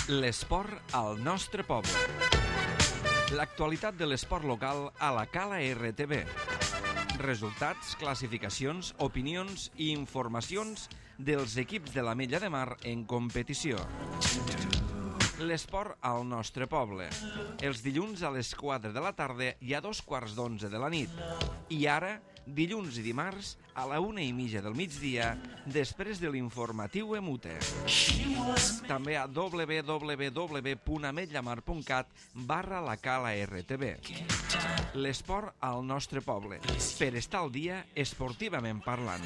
L'esport al nostre poble. L'actualitat de l'esport local a la Cala RTV. Resultats, classificacions, opinions i informacions dels equips de l'Ametlla de Mar en competició. L'esport al nostre poble. Els dilluns a les 4 de la tarda i a 2:15 de la nit. I ara, dilluns i dimarts, a la 1:30 del migdia, després de l'informatiu Emute. També a www.ametllamar.cat/la Cala RTV. L'esport al nostre poble, per estar al dia esportivament parlant.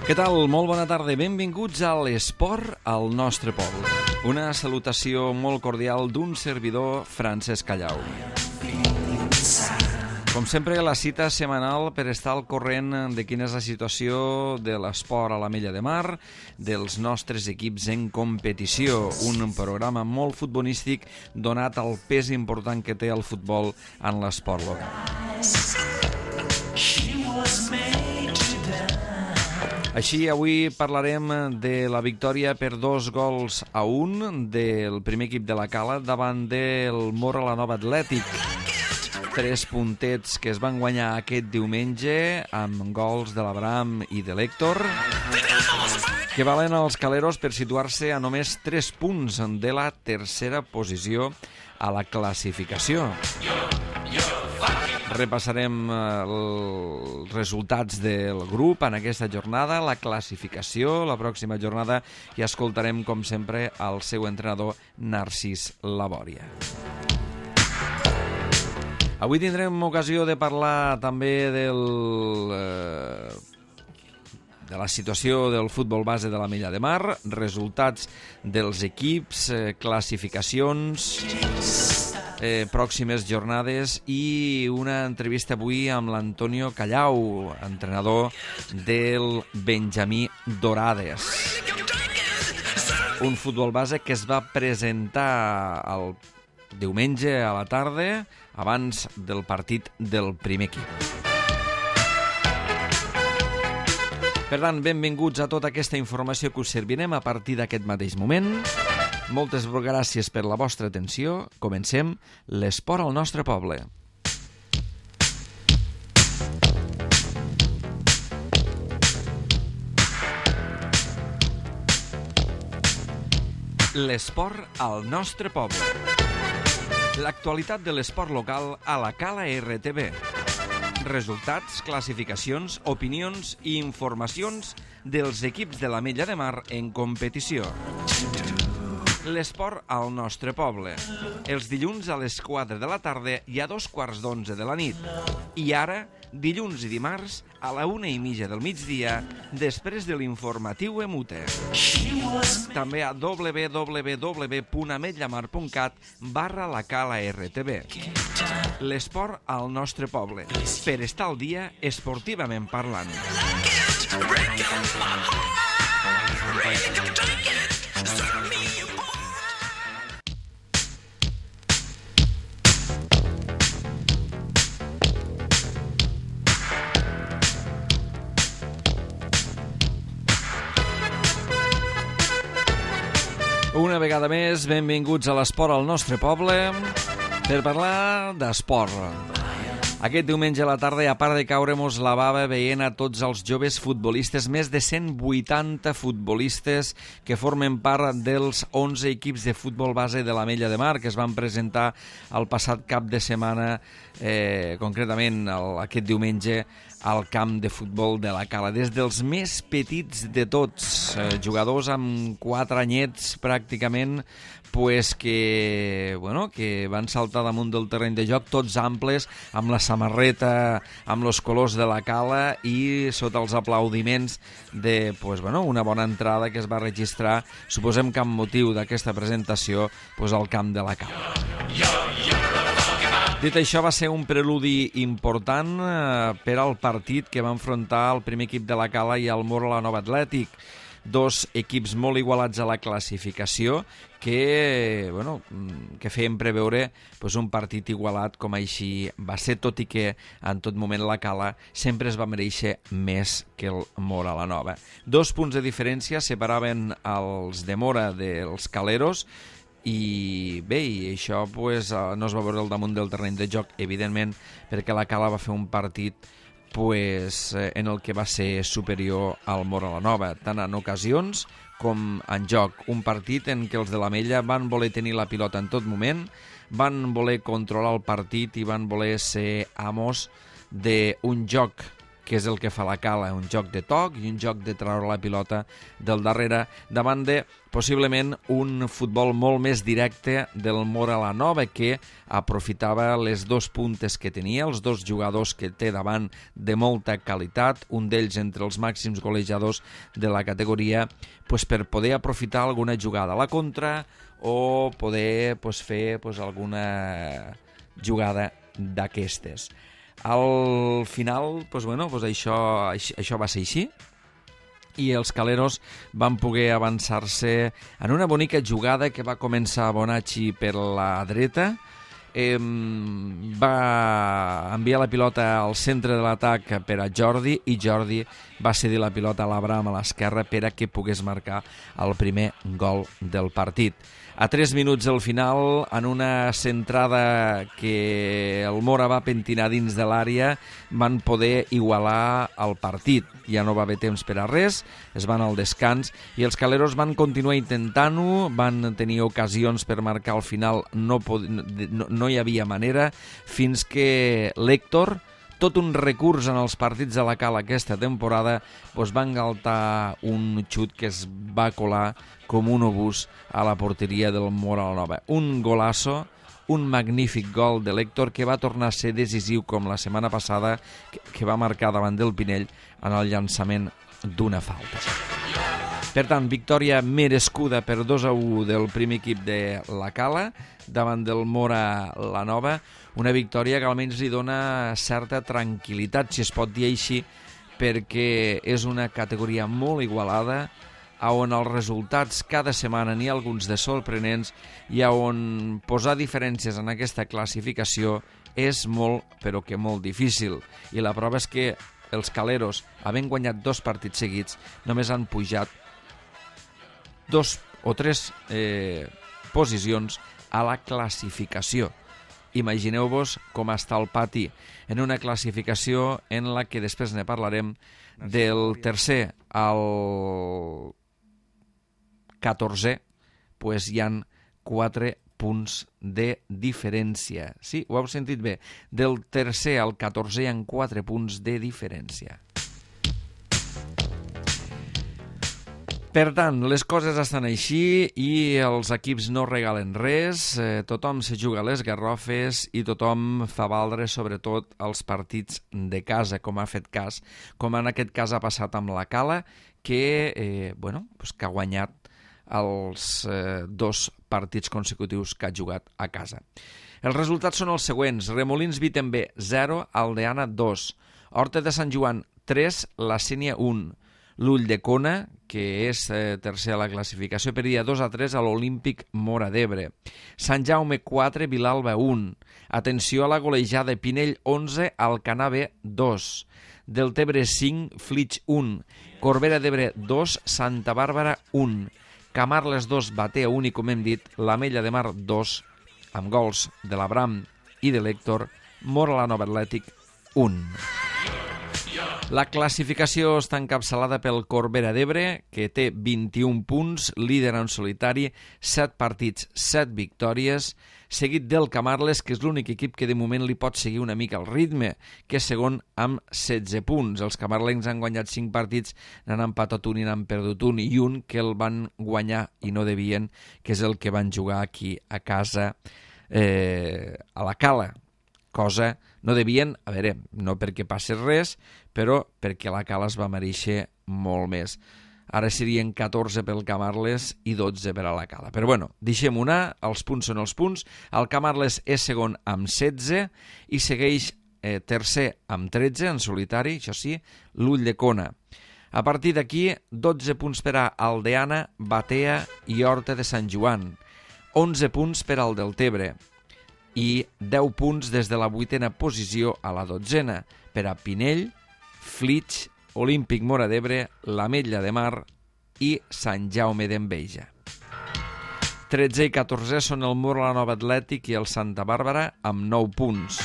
Què tal? Molt bona tarda. Benvinguts a l'esport al nostre poble. Una salutació molt cordial d'un servidor, Francesc Callau. Com sempre, la cita setmanal per estar al corrent de quina és la situació de l'esport a l'Ametlla de Mar, dels nostres equips en competició. Un programa molt futbolístic donat al pes important que té el futbol en l'esport local. Així, avui parlarem de la victòria per 2-1 del primer equip de la Cala davant del Móra-la-Nova Atlètic. 3 puntets que es van guanyar aquest diumenge amb gols de l'Abraham i de l'Héctor, que valen als caleros per situar-se a només 3 punts de la tercera posició a la classificació. Repassarem els resultats del grup en aquesta jornada, la classificació, la pròxima jornada, i escoltarem, com sempre, el seu entrenador, Narcís Labòria. Avui tindrem ocasió de parlar també de la situació del futbol base de l'Ametlla de Mar, resultats dels equips, classificacions, pròximes jornades i una entrevista avui amb l'Antonio Callau, entrenador del Benjamí Dorades. Un futbol base que es va presentar el diumenge a la tarda abans del partit del primer equip. Per tant, benvinguts a tota aquesta informació que us servirem a partir d'aquest mateix moment. Moltes gràcies per la vostra atenció. Comencem l'esport al nostre poble. L'esport al nostre poble. L'actualitat de l'esport local a la Cala RTV. Resultats, classificacions, opinions i informacions dels equips de l'Ametlla de Mar en competició. L'esport al nostre poble. Els dilluns a les 4 de la tarda i a 2:15 de la nit. I ara, dilluns i dimarts, a la 1:30 del migdia, després de l'informatiu Emute. També a www.ametllamar.cat/la Cala RTV. L'esport al nostre poble, per estar al dia esportivament parlant. Una vegada més, benvinguts a l'esport al nostre poble per parlar d'esport. Aquest diumenge a la tarda, a part de caure-mos la bava veient a tots els joves futbolistes, més de 180 futbolistes que formen part dels 11 equips de futbol base de l'Ametlla de Mar que es van presentar el passat cap de setmana, concretament aquest diumenge, al camp de futbol de la Cala. Des dels més petits de tots, jugadors amb 4 anyets pràcticament, que van saltar damunt del terreny de joc, tots amples, amb la samarreta, amb els colors de la Cala i sota els aplaudiments de una bona entrada que es va registrar, suposem que amb motiu d'aquesta presentació, al camp de la Cala. Dit això, va ser un preludi important per al partit que va enfrontar el primer equip de la Cala i el Móra-la-Nova Atlètic. dos equips molt igualats a la classificació que feien preveure un partit igualat com així va ser, tot i que en tot moment la Cala sempre es va mereixer més que el Móra la Nova. 2 punts de diferència separaven els de Móra dels caleros, i bé, i això no es va veure al damunt del terreny de joc, evidentment, perquè la Cala va fer un partit en el que va ser superior al Móra la Nova, tant en ocasions com en joc. Un partit en què els de l'Ametlla van voler tenir la pilota en tot moment, van voler controlar el partit i van voler ser amos d'un joc que és el que fa la Cala, un joc de toc i un joc de treure la pilota del darrere, davant de possiblement un futbol molt més directe del Móra la Nova, que aprofitava les 2 puntes que tenia, els 2 jugadors que té davant de molta qualitat, un d'ells entre els màxims golejadors de la categoria, per poder aprofitar alguna jugada a la contra o poder fer alguna jugada d'aquestes. Al final, això va ser així, i els caleros van poder avançar-se en una bonica jugada que va començar Bonacci per la dreta, va enviar la pilota al centre de l'atac per a Jordi, i Jordi va cedir la pilota a l'Abraham a l'esquerra per a que pogués marcar el primer gol del partit. A 3 minuts del final, en una centrada que el Móra va pentinar dins de l'àrea, van poder igualar el partit. Ja no va haver temps per a res, es van al descans i els caleros van continuar intentant-ho, van tenir ocasions per marcar al final, no hi havia manera, fins que l'Héctor, tot un recurs en els partits de la Cala aquesta temporada, va engaltar un xut que es va colar com un obús a la porteria del Móra la Nova. Un golasso, un magnífic gol de l'Héctor que va tornar a ser decisiu com la setmana passada, que va marcar davant del Pinell en el llançament d'una falta. Per tant, victòria merescuda per 2-1 del primer equip de la Cala davant del Móra la Nova, una victòria que almenys li dona certa tranquil·litat, si es pot dir així, perquè és una categoria molt igualada, on els resultats cada setmana n'hi ha alguns de sorprenents i on posar diferències en aquesta classificació és molt, però que molt difícil. I la prova és que els caleros, havent guanyat 2 partits seguits, només han pujat 2 o 3 posicions a la classificació. Imagineu-vos com està el pati en una classificació en la que després ne parlarem, del tercer al 14è, hi han 4 punts de diferència. Sí, ho heu sentit bé. Del tercer al 14è hi ha 4 punts de diferència. Per tant, les coses estan així i els equips no regalen res, tothom se juga a les garrofes i tothom fa valdre sobretot els partits de casa, com ha fet cas, com en aquest cas ha passat amb la Cala, que ha guanyat els 2 partits consecutius que ha jugat a casa. Els resultats són els següents: Remolins Vitember 0, Aldeana 2, Horta de Sant Joan 3, La Sénia 1, l'Ull de Cona, que és tercer a la classificació, perdia 2-3 a l'Olímpic Móra d'Ebre. Sant Jaume 4, Vilalba 1. Atenció a la golejada, Pinell 11, Alcanar B 2. Deltebre 5, Flix 1. Corbera d'Ebre 2, Santa Bàrbara 1. Camarles 2, Batea 1 i, com hem dit, l'Ametlla de Mar 2, amb gols de l'Abram i de l'Héctor. Móra la Nova Atlètic 1. La classificació està encapçalada pel Corbera d'Ebre, que té 21 punts, líder en solitari, 7 partits, 7 victòries, seguit del Camarles, que és l'únic equip que de moment li pot seguir una mica el ritme, que és segon amb 16 punts. Els camarlencs han guanyat 5 partits, n'han empatat un i n'han perdut un, i un que el van guanyar i no devien, que és el que van jugar aquí a casa, a la Cala. Cosa no devien, a veure, no perquè passés res, però perquè la Cala es va mereixer molt més. Ara serien 14 pel Camarles i 12 per a la Cala. Però bueno, deixem-ho anar, els punts són els punts. El Camarles és segon amb 16 i segueix tercer amb 13 en solitari, això sí, l'Ull de Cona. A partir d'aquí, 12 punts per a Aldeana, Batea i Horta de Sant Joan, 11 punts per al Deltebre i 10 punts des de la 8a posició a la 12a per a Pinell, Flix, Olímpic Móra d'Ebre, l'Ametlla de Mar i Sant Jaume d'Enveja. 13 i 14 són el Móra la Nova Atlètic i el Santa Bàrbara amb 9 punts.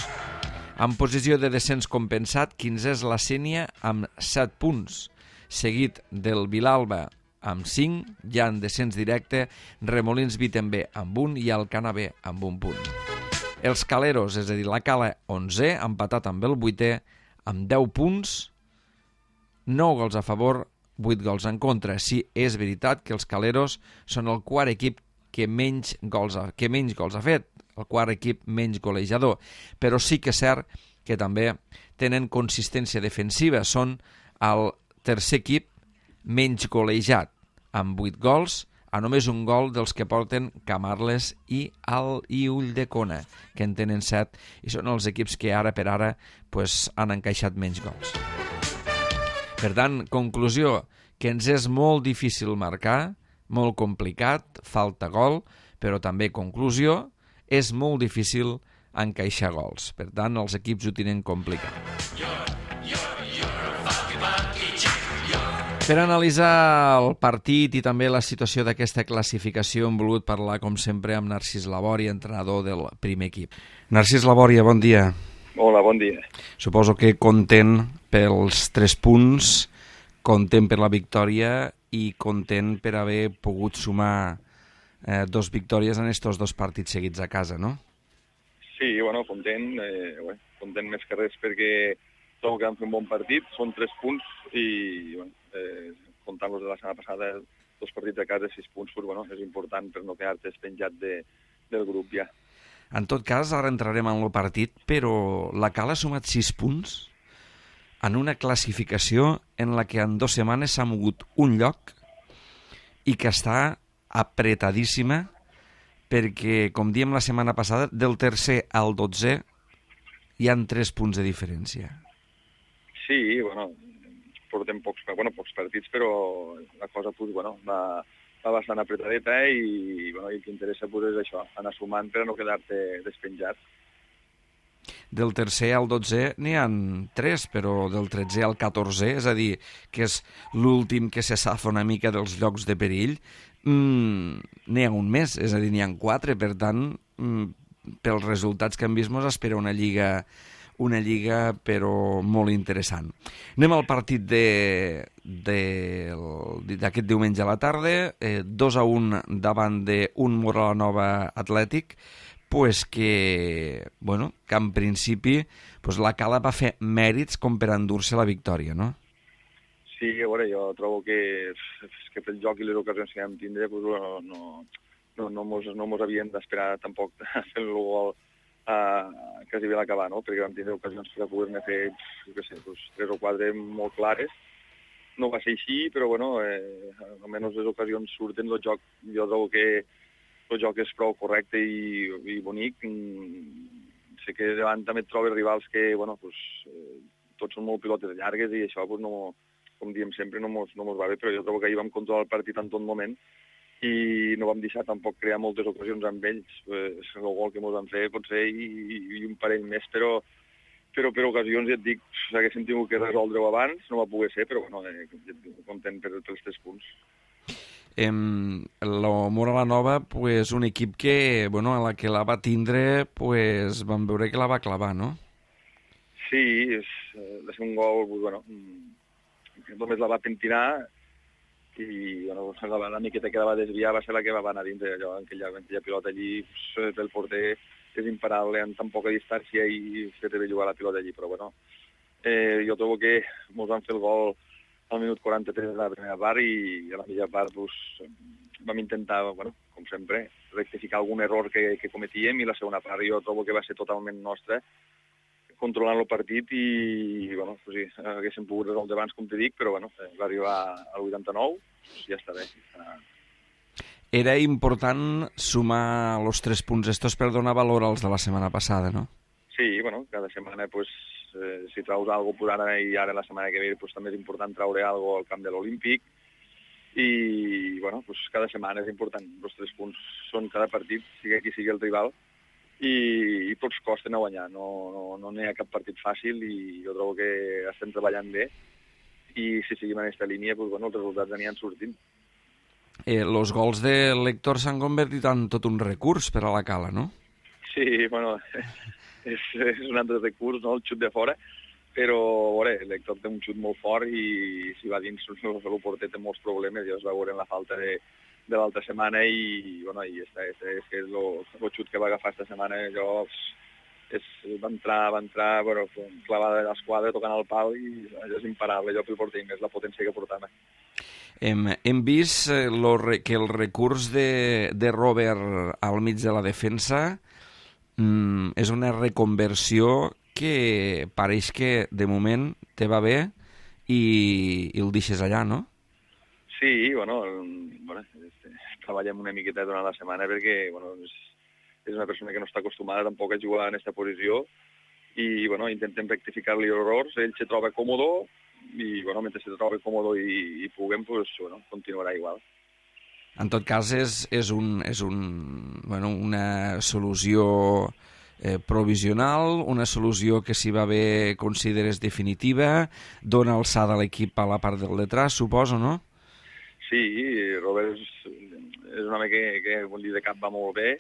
En posició de descens compensat, 15 és la Sénia amb 7 punts, seguit del Vilalba amb 5, ja en descens directe, Remolins Vitember amb 1 i Alcana B amb 1 punt. Els Caleros, és a dir, la Cala 11, empatat amb el 8è, amb 10 punts, 9 gols a favor, 8 gols en contra. Sí, és veritat que els Caleros són el quart equip que menys gols ha fet, el quart equip menys golejador, però sí que és cert que també tenen consistència defensiva, són el tercer equip menys golejat, amb 8 gols, a només un gol dels que porten Camarles i Ulldecona, que en tenen 7, i són els equips que ara per ara han encaixat menys gols. Per tant, conclusió, que ens és molt difícil marcar, molt complicat, falta gol, però també conclusió, és molt difícil encaixar gols. Per tant, els equips ho tenen complicat. Per analitzar el partit i també la situació d'aquesta classificació hem volgut parlar, com sempre, amb Narcís Labòria, entrenador del primer equip. Narcís Labòria, bon dia. Hola, bon dia. Suposo que content pels 3 punts, content per la victòria i content per haver pogut sumar 2 victòries en estos 2 partits seguits a casa, no? Sí, bueno, content més que res perquè trobo que vam fer un bon partit, són 3 punts i comptant-los de la setmana passada, 2 partits a casa, 6 punts, és important per no quedar-te penjat del grup ja. En tot cas, ara entrarem en el partit, però la Cala ha sumat 6 punts en una classificació en la que en 2 setmanes s'ha mogut un lloc i que està apretadíssima perquè, com diem la setmana passada, del tercer al 12è hi han 3 punts de diferència. Sí, portem pocs partits, però la cosa va bastant apretadeta i el que interessa és això, anar sumant per a no quedar-te despenjat. Del tercer al 12è n'hi ha 3, però del 13è al 14è, és a dir, que és l'últim que se safa una mica dels llocs de perill, n'hi ha un més, és a dir, n'hi ha 4, per tant, pels resultats que hem vist, ens espera una lliga però molt interessant. Anem al partit d'aquest diumenge a la tarda, 2-1 davant d'un Móra la Nova Atlètic, que en principi la Cala va fer mèrits com per endur-se la victòria, no? Sí, a veure, jo trobo que pel joc i les ocasions que vam tindre no mos havien d'esperar tampoc a fer el gol quasi bé l'acabar, no? Perquè vam tindre ocasions per poder-ne fer, 3 o 4 molt clares. No va ser així, però almenys les ocasions surten, el joc, jo trobo que el joc és prou correcte i bonic. Sé que davant també et trobes rivals que, tots són molt pilotes llargues i això, com diem sempre, no mos va bé, però jo trobo que ahir vam controlar el partit en tot moment i no vam deixar tampoc crear moltes ocasions amb ells. El gol que mos van fer pot ser i un parell més, però per ocasions, ja et dic, haguéssim tingut que resoldre-ho abans, no va poder ser, però content pels 3 punts. La Móra la Nova, un equip que, a la que la va tindre, vam veure que la va clavar, no? Sí, va ser un gol, només la va pentinar i la miqueta que la va desviar va ser la que va anar dintre, aquella pilota allí, el porter és imparable en tan poca distància i fer-te bé jugar la pilota allí, però jo trobo que mos van fer el gol al minut 43 de la primera part i a la mitja part vam intentar, com sempre, rectificar algun error que cometíem i la segona part jo trobo que va ser totalment nostra, controlant el partit i, haguéssim pogut resoldre abans, com t'he dit, però, va arribar al 89, ja està bé. Era important sumar els 3 punts estos per donar valor als de la setmana passada, no? Sí, cada setmana, si traus alguna cosa ara i ara la setmana que ve, pues, també és important traure alguna cosa al camp de l'Olímpic. I, bueno, pues, cada setmana és important. Els 3 punts són cada partit, sigui qui sigui el rival, i tots costen a guanyar. No n'hi ha cap partit fàcil i jo trobo que estem treballant bé i si seguim en aquesta línia, pues, bueno, els resultats aniran sortint. Los gols de l'Héctor s'han convertit en tot un recurs per a la Cala, no? Sí, bueno, és un altre recurs, no?, el xut de fora, però, a veure, l'Héctor té un xut molt fort i si va dins el porter té molts problemes, ja es va veure en la falta de l'altra setmana i, bueno, i és el xut que va agafar esta setmana, allò va entrar, bueno, clavada de l'esquadra tocant el pal i és imparable allò pel porter, i més la potència que portava. Hem vist que el recurs de Robert al mig de la defensa és una reconversió que pareix que de moment te va bé i el deixes allà, no? Sí, bueno, treballem una miqueta durant la setmana perquè, bueno, és una persona que no està acostumada tampoc a jugar en aquesta posició i, bueno, intentem rectificar-li errors, ell se troba còmodo i, bueno, mentre se troba còmodo i puguem, pues, bueno, continuarà igual. En tot cas, és una solució provisional, una solució que si va bé consideres definitiva, dona alçada a l'equip a la part del detrás, suposo, no? Sí, Robert és un home que de cap va molt bé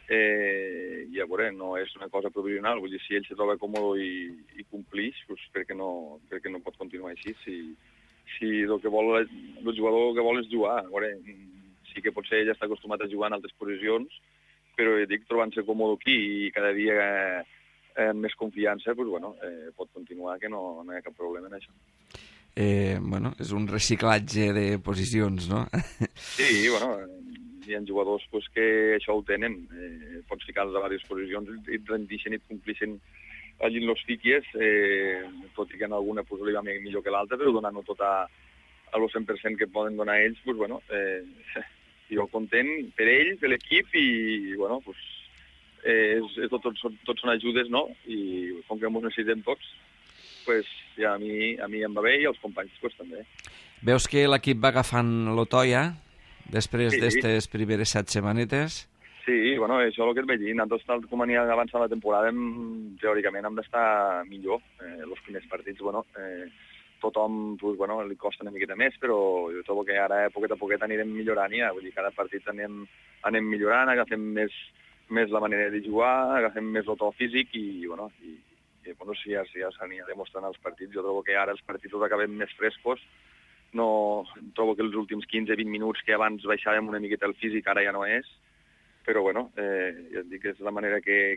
i a veure, no és una cosa provisional, vull dir, si ell se troba còmode i complix, doncs perquè no pot continuar així. Si el jugador que vol és jugar, a veure, sí que potser ell està acostumat a jugar en altres posicions, però dic, trobant-se còmode aquí i cada dia amb més confiança, doncs, bueno, pot continuar, que no hi ha cap problema en això. Bueno, és un reciclatge de posicions, no? Sí, bueno, hi ha jugadors pues, que això ho tenen, pots ficar-los a diverses posicions i et rendixen i et complixen allí en los fiquies, tot i que en alguna pues, li va millor que l'altra, però donant-ho tot a lo 100% que poden donar ells, pues, bueno, jo content per ells, per l'equip i, bueno, pues, tots són ajudes, no? I com que ens necessitem tots, pues, ja a mi em va bé i als companys pues, també. Veus que l'equip va agafant l'Otoia després d'aquestes primeres 7 setmanetes? Sí, bueno, això és el que et vaig dir. Nosaltres, tal com anirà avançant la temporada, teòricament hem d'estar millor. Els primers partits, bueno, tothom pues, bueno, li costa una miqueta més, però jo trobo que ara, poquet a poquet, anirem millorant ja. Vull dir, cada partit anem millorant, agafem més la manera de jugar, agafem més el to físic i, bueno, bueno, si ja s'anirà demostrant els partits. Jo trobo que ara els partits els acabem més frescos. No trobo que els últims 15-20 minuts que abans baixàvem una miqueta el físic ara ja no és, però bueno, ja et dic que és la manera que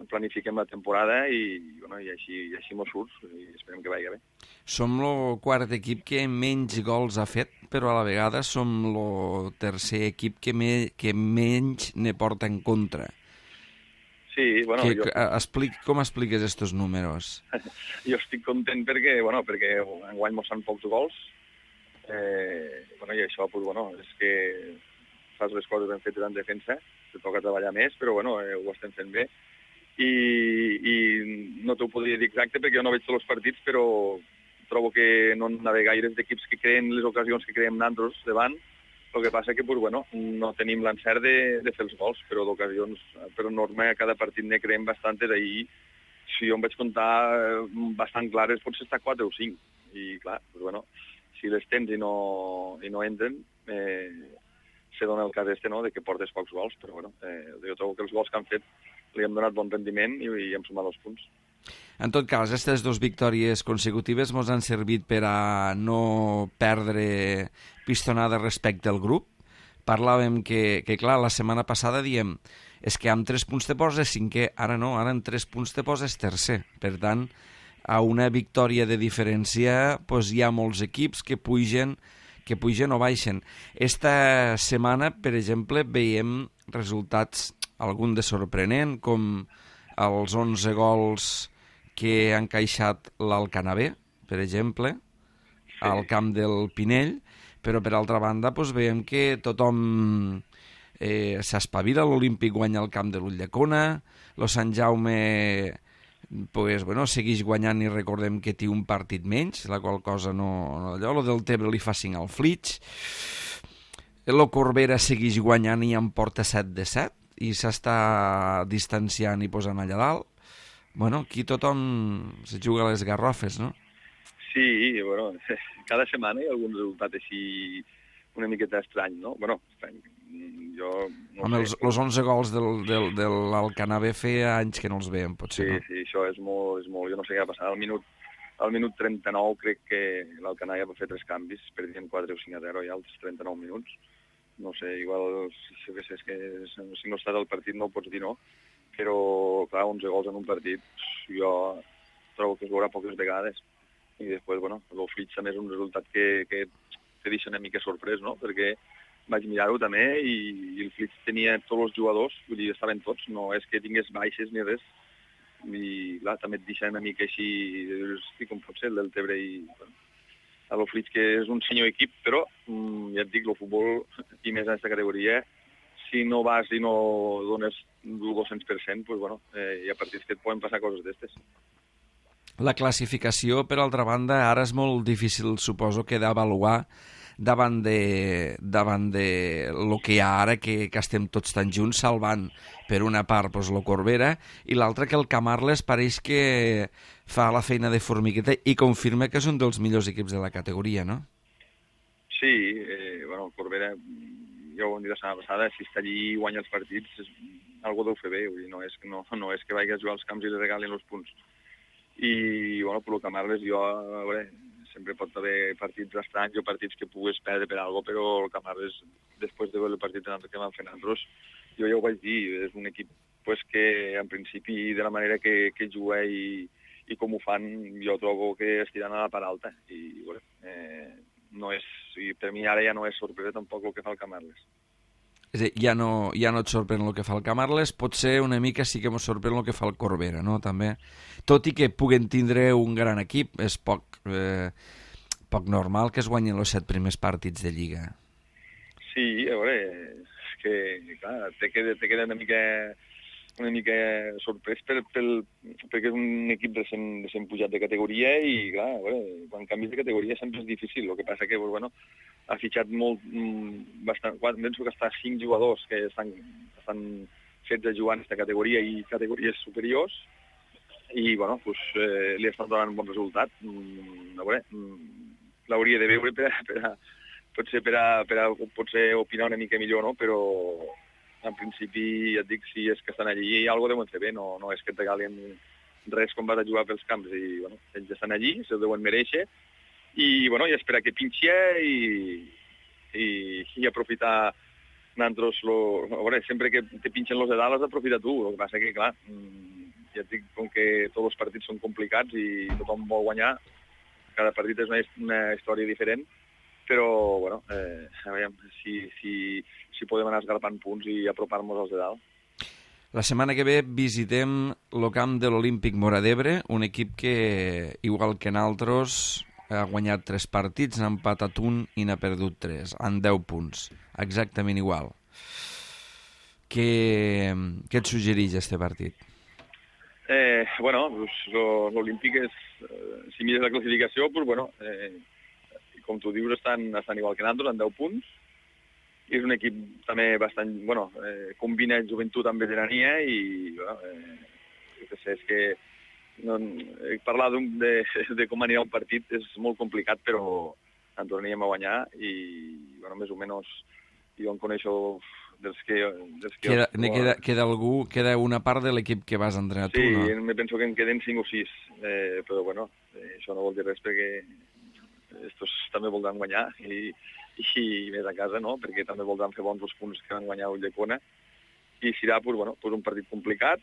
planifiquem la temporada i, bueno, i així mos surt i esperem que vagi bé. Som el quart equip que menys gols ha fet, però a la vegada som el tercer equip que menys ne porta en contra. Sí, bueno, com expliques estos números? Jo estic content perquè enguany mos fan pocs gols, i això, pues, bueno, és que fas les coses ben fetes en defensa, te toca treballar més, però bueno, ho estem fent bé. I no t'ho podria dir exacte perquè jo no veig tots els partits, però trobo que no hi ha gaires d'equips que creen les ocasions que creem nosaltres davant. El que passa que pues, bueno, no tenim l'encert de fer els gols, però d'ocasions, per norma, a cada partit ne creem bastantes. Ahir, si jo em vaig comptar bastant clares, potser està 4 o 5. I clar, pues, bueno, si les tens i no entren, se dona el cas no, de que portes pocs gols, però bueno, jo trobo que els gols que han fet li hem donat bon rendiment i hem sumat els punts. En tot cas, aquestes 2 victòries consecutives ens han servit per a no perdre pistonada respecte al grup. Parlàvem que clar, la setmana passada diem és que amb 3 punts te poses 5è, ara no, ara amb 3 punts te poses 3è. Per tant, a una victòria de diferència doncs hi ha molts equips que pugen o baixen. Esta setmana, per exemple, veiem resultats algun de sorprenent, com els 11 gols que han encaixat l'Alcanavè, per exemple, al camp del Pinell, però per altra banda doncs, veiem que tothom s'espavila, l'Olímpic guanya el camp de l'Ulldecona, el Sant Jaume pues, bueno, segueix guanyant i recordem que té un partit menys, la qual cosa no allò, lo del Tebre li fa 5 al Flix, el Corbera segueix guanyant i en porta 7 de 7 i s'està distanciant i posant allà dalt. Bueno, aquí tothom se juga a les garrofes, no? Sí, bueno, cada setmana hi ha algun resultat així una miqueta estrany, no? Bueno, estrany. Jo no Home, sé. els 11 gols de l'Alcanar B feia anys que no els veiem, potser, Sí, no? sí, això és molt... Jo no sé què va passar. Al minut 39 crec que l'Alcanar ja va fer 3 canvis, perdien 4 o 5-0 ja als 39 minuts. No sé, igual, és que si no estàs al partit no ho pots dir, no? Però, clar, 11 gols en un partit, jo trobo que es veurà poques vegades. I després, bueno, el Flix també és un resultat que te deixa una mica sorprès, no? Perquè vaig mirar-ho també i el Flix tenia tots els jugadors, vull dir, estaven tots, no és que tingués baixes ni res, i clar, també et deixa una mica així, hosti, com pot ser el del Tebre i bueno, el Flix, que és un senyor equip, però ja et dic, el futbol, i més en aquesta categoria, si no vas i no dones el 200%, pues, bueno, hi ha partits que et poden passar coses d'estes. La classificació, per altra banda, ara és molt difícil, suposo, que d'avaluar davant de lo que hi ha ara, que estem tots tan junts, salvant per una part pues, lo Corbera, i l'altra que el Camarles pareix que fa la feina de formigueta i confirma que és un dels millors equips de la categoria, no? Sí, bueno, el Corbera, ja ho vam dir la setmana passada, si està allí i guanya els partits, algú deu fer bé, vull dir, no és que vagi a jugar als camps i li regalin els punts. I, bueno, per lo Camarles, jo, a veure, sempre pot haver partits estranys o partits que pugues perdre per alguna cosa, però el Camarles, després de veure el partit que van fer nosaltres, jo ja ho vaig dir, és un equip pues, que en principi de la manera que juga i com ho fan, jo trobo que estiran a la part alta. I bueno, no és, per mi ara ja no és sorpresa tampoc el que fa el Camarles. És a dir, ja no et sorprèn el que fa el Camarles, potser una mica sí que ens sorprèn el que fa el Corbera, no? També. Tot i que puguen tindre un gran equip, és poc normal que es guanyin els 7 primers partits de Lliga. Sí, a veure, és que, clar, te queda una mica sorprès perquè és un equip recent pujat de categoria i, clar, a veure, quan canvis de categoria sempre és difícil. El que passa que, bueno, ha fitxat bastant, penso que està 5 jugadors que estan fets a jugar en aquesta categoria i categories superiors i, bueno, pues, li estan donant un bon resultat. A veure, l'hauria de veure potser opinar una mica millor, no? Però en principi, ja et dic, si és que estan allí, alguna cosa deuen fer bé, no és que et regalin res quan vas a jugar pels camps. I, bueno, ells estan allí, se'l deuen mereixer, i, bueno, i esperar que pinxi i aprofitar nosaltres, a veure, sempre que te pinxen los de dalt has d'aprofitar tu. El que passa que, clar, ja et dic, com que tots els partits són complicats i tothom vol guanyar, cada partit és una història diferent, però, bueno, a veure si podem anar esgarpant punts i apropar-nos als de dalt. La setmana que ve visitem el camp de l'Olímpic Móra d'Ebre, un equip que, igual que nosaltres, ha guanyat 3 partits, n'ha empatat 1 i n'ha perdut 3, en 10 punts, exactament igual. Què et suggereix este partit? Bueno, l'Olímpic és, si mires la classificació, pues, bueno, com tu dius, estan igual que nosaltres, en 10 punts. És un equip també bastant, bueno, combina joventut amb veterania i, bueno, és que parlar de com anirà un partit és molt complicat, però en tornaríem a guanyar i, bueno, més o menys, jo em coneixo dels que... Queda una part de l'equip que vas entrenar tu, no? Sí, me penso que en queden 5 o 6, però, bueno, això no vol dir res perquè estos també voldran guanyar i més a casa, no? Perquè també voldran fer bons els punts que van guanyar a Ulldecona i serà, pues, bueno, un partit complicat.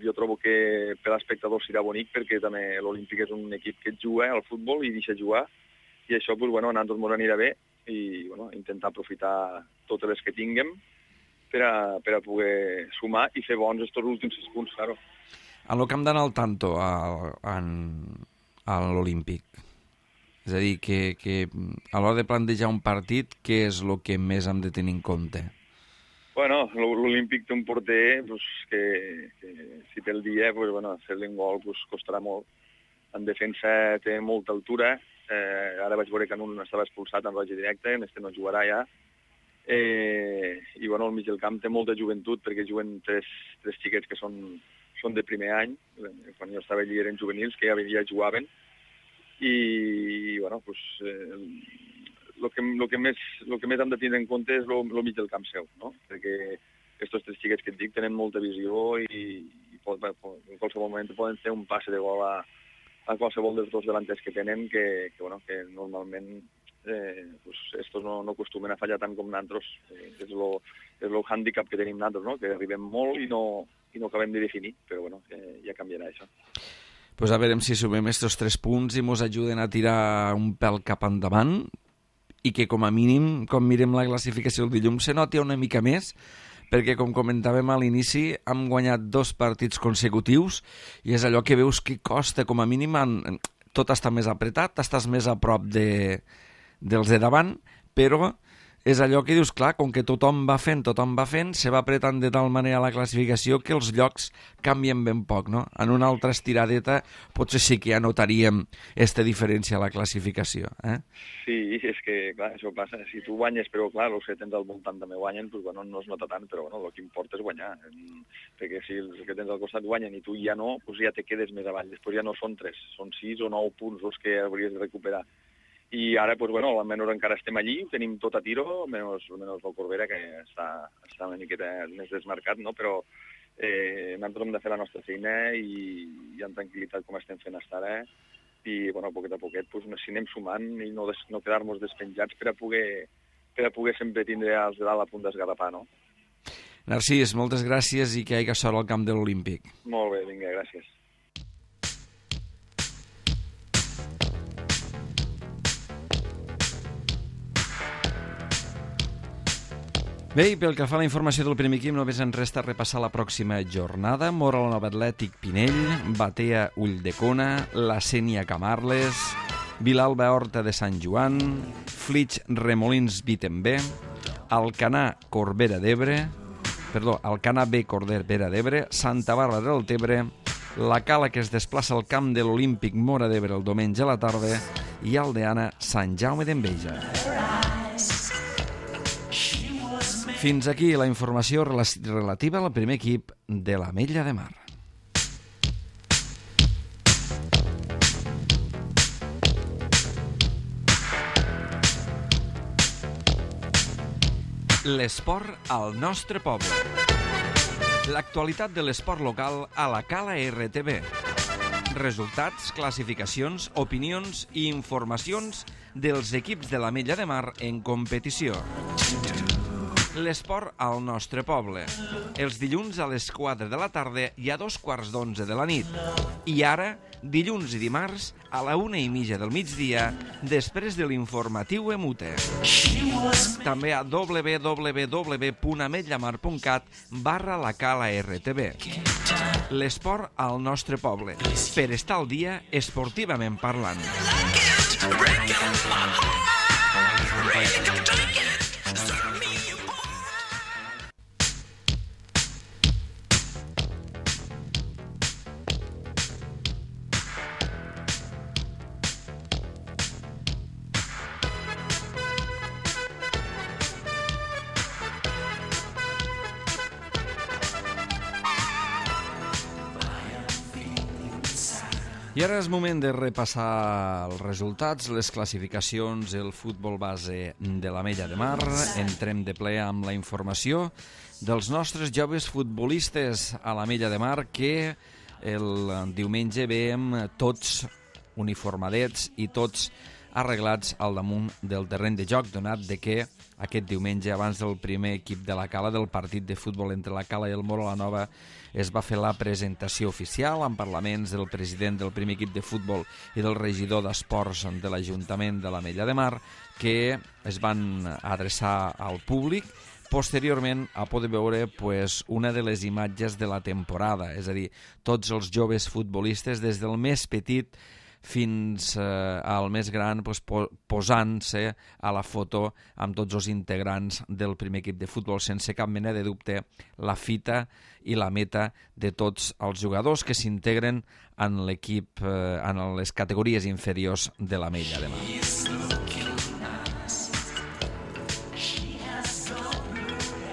Jo trobo que per l'espectador serà bonic perquè també l'Olímpic és un equip que juga al futbol i deixa jugar i això, pues, bueno, a nosaltres ens anirà bé i, bueno, intentar aprofitar totes les que tinguem per a poder sumar i fer bons estos últims 6 punts, claro. En el que hem d'anar al tanto a l'Olímpic, és a dir, que a l'hora de plantejar un partit, què és el que més hem de tenir en compte? Bueno, l'Olímpic té un porter que si té el dia, fer-li un gol costarà molt. En defensa té molta altura. Ara vaig veure que en un estava expulsat en roig directe, en este no jugarà ja. I al mig del camp té molta joventut, perquè juguen tres xiquets que són de primer any. Quan jo estava allí eren juvenils, que ja jugaven. I, el que més hem de tenir en compte és el mig del camp seu, no? Perquè aquests tres xiquets que et dic tenen molta visió i en qualsevol moment poden fer un passe de gol a qualsevol dels dos delanters que tenen, que normalment estos no acostumen a fallar tant com nosaltres. És el hàndicap que tenim nosaltres, no? Que arribem molt i no acabem de definir, però ja canviarà això. Pues a veure si sumem estos 3 punts i mos ajuden a tirar un pèl cap endavant i que com a mínim, com mirem la classificació del dilluns, se noti una mica més, perquè com comentàvem a l'inici hem guanyat 2 partits consecutius i és allò que veus que costa, com a mínim tot està més apretat, estàs més a prop dels de davant, però és allò que dius, clar, com que tothom va fent, se va apretant de tal manera la classificació que els llocs canvien ben poc, no? En una altra estiradeta potser sí que ja notaríem aquesta diferència a la classificació, eh? Sí, és que, clar, això passa. Si tu guanyes, però, clar, els que tens al voltant també guanyen, doncs, no es nota tant, però, el que importa és guanyar. Perquè si els que tens al costat guanyen i tu ja no, doncs ja te quedes més avall. Després ja no són 3, són 6 o 9 punts els que hauries de recuperar. I ara, almenys encara estem allí, tenim tot a tiro, menys el Corbera, que està una miqueta més desmarcat, no? Però nosaltres hem de fer la nostra feina i amb tranquil·litat com estem fent fins ara, i, poquet a poquet, si anem sumant i no quedar-nos despenjats per a poder sempre tindre els de dalt a punt d'esgarrapar, no? Narcís, moltes gràcies i que hi hagi sort al camp de l'Olímpic. Molt bé, vinga, gràcies. Bé, i pel que fa a la informació del primer equip, només ens resta repassar la pròxima jornada. Mora la Nova Atlètic Pinell, Batea Ulldecona, la Sénia Camarles, Vilalba Horta de Sant Joan, Flix Remolins Vitembé, Alcanar Corbera d'Ebre, Alcanar B Corbera d'Ebre, Santa Bàrbara del Tebre, la Cala que es desplaça al camp de l'Olímpic Móra d'Ebre el diumenge a la tarda i Aldeana Sant Jaume d'Enveja. Fins aquí la informació relativa al primer equip de l'Ametlla de Mar. L'esport al nostre poble. L'actualitat de l'esport local a la Cala RTV. Resultats, classificacions, opinions i informacions dels equips de l'Ametlla de Mar en competició. L'esport al nostre poble. Els dilluns a les 4 de la tarda i a 2:15 de la nit. I ara, dilluns i dimarts, a la 1:30 del migdia, després de l'informatiu Emute. També a www.ametllamar.cat/la Cala RTV. L'esport al nostre poble. Per estar al dia esportivament parlant. I ara és moment de repassar els resultats, les classificacions, el futbol base de l'Ametlla de Mar. Entrem de ple amb la informació dels nostres joves futbolistes a l'Ametlla de Mar, que el diumenge veiem tots uniformadets i tots arreglats al damunt del terreny de joc, donat de que aquest diumenge, abans del primer equip de la Cala, del partit de futbol entre la Cala i el Moro la Nova, es va fer la presentació oficial amb parlaments del president del primer equip de futbol i del regidor d'esports de l'Ajuntament de l'Ametlla de Mar, que es van adreçar al públic. Posteriorment a poder veure una de les imatges de la temporada, és a dir, tots els joves futbolistes, des del més petit fins al més gran, posant-se a la foto amb tots els integrants del primer equip de futbol, sense cap mena de dubte la fita i la meta de tots els jugadors que s'integren en l'equip, en les categories inferiors de l'Ametlla de Mar.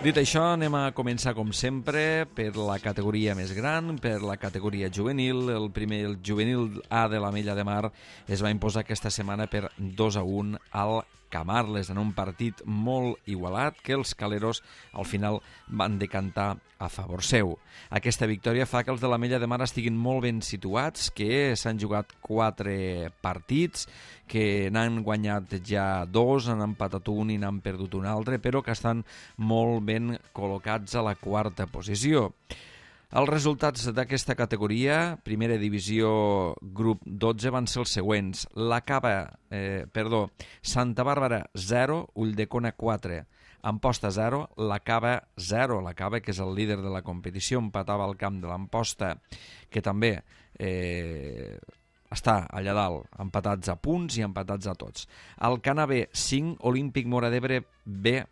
Dit això, anem a començar, com sempre, per la categoria més gran, per la categoria juvenil. El juvenil A de l'Ametlla de Mar es va imposar aquesta setmana per 2-1 al Camarles, en un partit molt igualat que els caleros al final van decantar a favor seu. Aquesta victòria fa que els de l'Ametlla de Mar estiguin molt ben situats, que s'han jugat 4 partits, que n'han guanyat ja 2, han empatat un i n'han perdut un altre, però que estan molt ben col·locats a la 4a posició. Els resultats d'aquesta categoria, primera divisió grup 12, van ser els següents. Santa Bàrbara 0, Ulldecona 4, Amposta 0, la Cava 0. La Cava, que és el líder de la competició, empatava al camp de l'Amposta, que també està allà dalt, empatats a punts i empatats a tots. Alcana B 5, Olímpic Móra d'Ebre B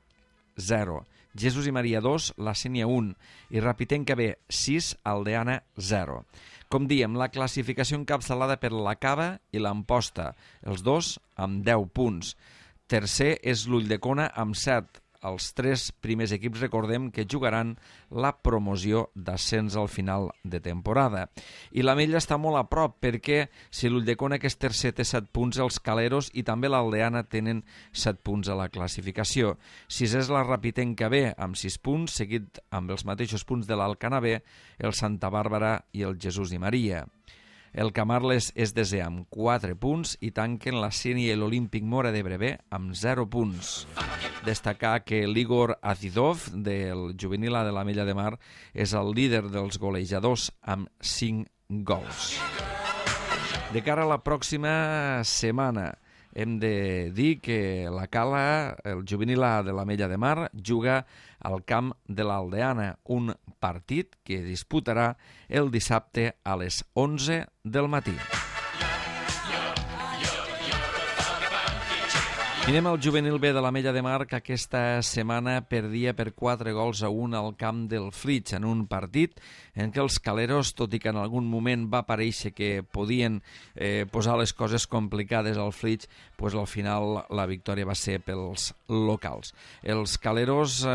0. Jesús i Maria 2, la Sénia 1 i Rapitenca B 6, Aldeana 0. Com diem, la classificació encapçalada per la Cava i l'Amposta, els dos amb 10 punts. Tercer és l'Ulldecona amb 7. Els 3 primers equips, recordem, que jugaran la promoció d'ascens al final de temporada. I l'Ametlla està molt a prop, perquè si l'Ulldecona, que és tercer, té 7 punts, els caleros i també l'Aldeana tenen 7 punts a la classificació. Sisè és la Rapitenca B, amb 6 punts, seguit amb els mateixos punts de l'Alcana B, el Santa Bàrbara i el Jesús i Maria. El Camarles és desè amb 4 punts i tanquen la Sénia i l'Olímpic Móra d'Ebre B amb 0 punts. Destacar que l'Igor Azidov, del juvenil A de l'Ametlla de Mar, és el líder dels golejadors amb 5 gols. De cara a la pròxima setmana, hem de dir que la Cala, el juvenil A de l'Ametlla de Mar, juga al camp de l'Aldeana, un partit que disputarà el dissabte a les 11 del matí. I anem al juvenil B de l'Ametlla de Mar, que aquesta setmana perdia per 4-1 al camp del Flix, en un partit en què els caleros, tot i que en algun moment va parèixer que podien posar les coses complicades al Flix, pues al final la victòria va ser pels locals. Els caleros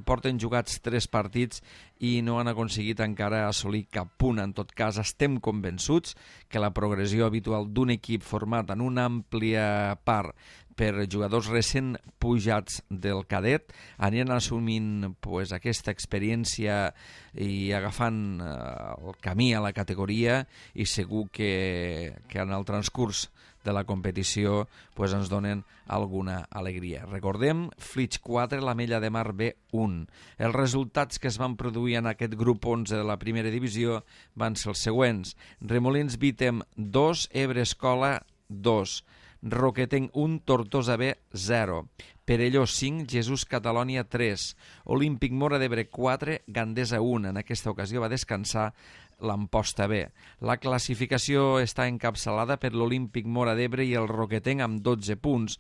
porten jugats 3 partits i no han aconseguit encara assolir cap punt. En tot cas, estem convençuts que la progressió habitual d'un equip format en una àmplia part per jugadors recent pujats del cadet aniran assumint aquesta experiència i agafant el camí a la categoria, i segur que en el transcurs de la competició ens donen alguna alegria. Recordem, Flix 4, l'Ametlla de Mar B 1. Els resultats que es van produir en aquest grup 11 de la primera divisió van ser els següents. Remolins Vítem 2, Ebre Escola 2, Roquetenc 1, Tortosa B 0, Perelló 5, Jesús Catalònia 3, Olímpic Móra d'Ebre 4, Gandesa 1. En aquesta ocasió va descansar l'Amposta B. La classificació està encapçalada per l'Olímpic Móra d'Ebre i el Roquetenc amb 12 punts.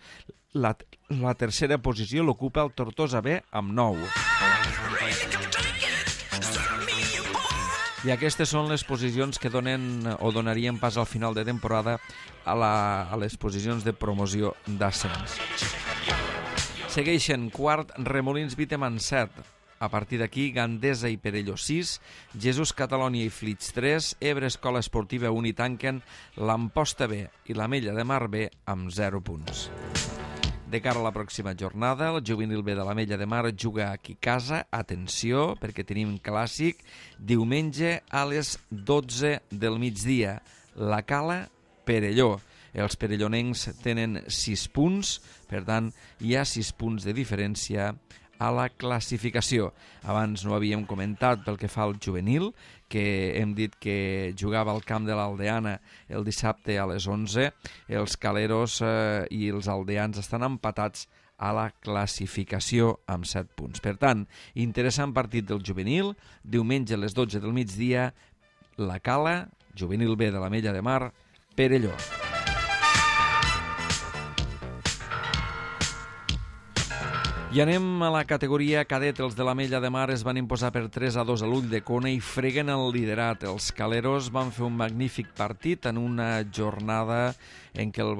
La tercera posició l'ocupa el Tortosa B amb 9. I aquestes són les posicions que donen o donarien pas al final de temporada a les posicions de promoció d'ascens. Segueixen quart Remolins Vítem amb 7. A partir d'aquí, Gandesa i Perelló 6, Jesús Catalònia i Flix 3, Ebre Escola Esportiva 1 i tanquen l'Amposta B i l'Ametlla de Mar B amb 0 punts. De cara a la pròxima jornada, el juvenil B de l'Ametlla de Mar juga aquí a casa. Atenció, perquè tenim clàssic diumenge a les 12 del migdia. La Cala, Perelló. Els perellonencs tenen 6 punts, per tant, hi ha 6 punts de diferència a la classificació. Abans no havíem comentat pel que fa al juvenil, que hem dit que jugava al camp de l'Aldeana el dissabte a les 11. Els caleros i els aldeans estan empatats a la classificació amb 7 punts. Per tant, interessant partit del juvenil, diumenge a les 12 del migdia, la Cala, juvenil B de l'Ametlla de Mar, Perelló. I anem a la categoria cadet. Els de l'Ametlla de Mar es van imposar per 3-2 a l'Ulldecona i freguen el liderat. Els caleros van fer un magnífic partit en una jornada en què el